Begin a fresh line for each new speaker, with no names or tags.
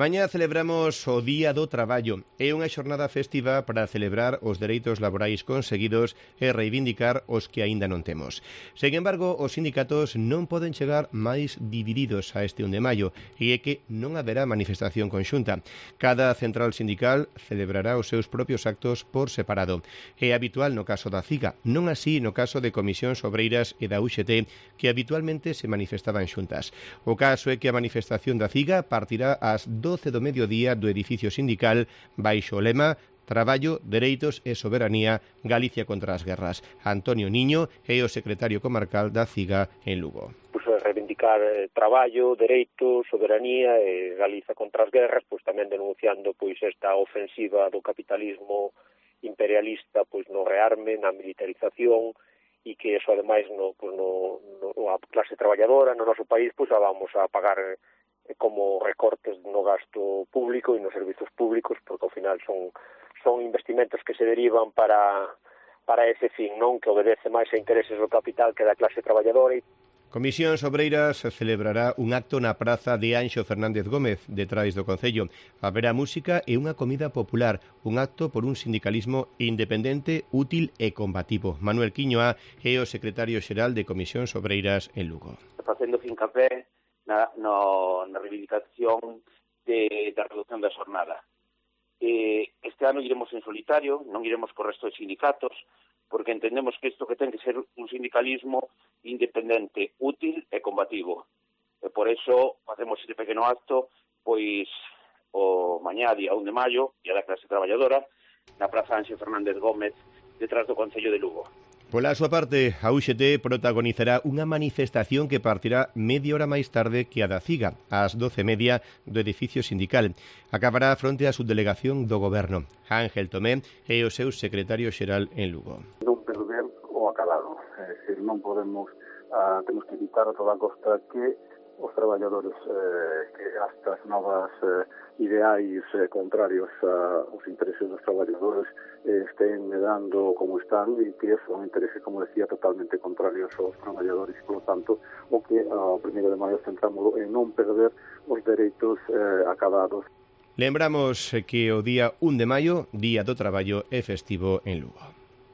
Mañá celebramos o Día do Traballo. É unha xornada festiva para celebrar os dereitos laborais conseguidos e reivindicar os que aínda non temos. Sen embargo, os sindicatos non poden chegar máis divididos a este 1 de maio e é que non haberá manifestación conxunta. Cada central sindical celebrará os seus propios actos por separado. É habitual no caso da CIGA, non así no caso de Comisións Obreiras e da UGT, que habitualmente se manifestaban xuntas. O caso é que a manifestación da CIGA partirá ás 12 do mediodía do edificio sindical baixo o lema Traballo, Dereitos e Soberanía, Galicia contra as guerras. Antonio Niño é o secretario comarcal da CIGA en Lugo.
Reivindicar traballo, dereitos, soberanía e Galiza contra as guerras, tamén denunciando esta ofensiva do capitalismo imperialista no rearme, na militarización, e que eso ademais a clase traballadora no noso país a vamos a pagar como recortes no gasto público e nos servizos públicos, porque ao final son investimentos que se derivan para ese fin, non que obedece máis a intereses do capital que da clase traballadora.
Comisións Obreiras celebrará un acto na praza de Anxo Fernández Gómez, detrás do Concello. Haberá música e unha comida popular, un acto por un sindicalismo independente, útil e combativo. Manuel Quiñoa é o secretario xeral de Comisións Obreiras en Lugo.
Facendo fincapé na reivindicación da reducción da xornada. Este ano iremos en solitario, non iremos co resto de sindicatos, porque entendemos que isto que ten que ser un sindicalismo independente, útil e combativo. E por eso facemos este pequeno acto, o mañá, día 1 de maio, Día da Clase Traballadora, na Praza Anxo Fernández Gómez, detrás do Concello de Lugo.
Pola súa parte, a UGT protagonizará unha manifestación que partirá media hora máis tarde que a da CIGA, ás 12:30 do edificio sindical. Acabará fronte á subdelegación do Goberno. Ángel Tomé é o seu secretario xeral en Lugo.
Non perder o acabado. Non podemos, temos que evitar a toda costa que os traballadores, que estas novas ideais contrarios aos intereses dos traballadores estén medando como están e que son intereses, como decía, totalmente contrarios aos traballadores e, polo tanto, o que ao 1 de maio centramos en non perder os dereitos acabados.
Lembramos que o día 1 de maio, Día do Traballo, é festivo en Lugo.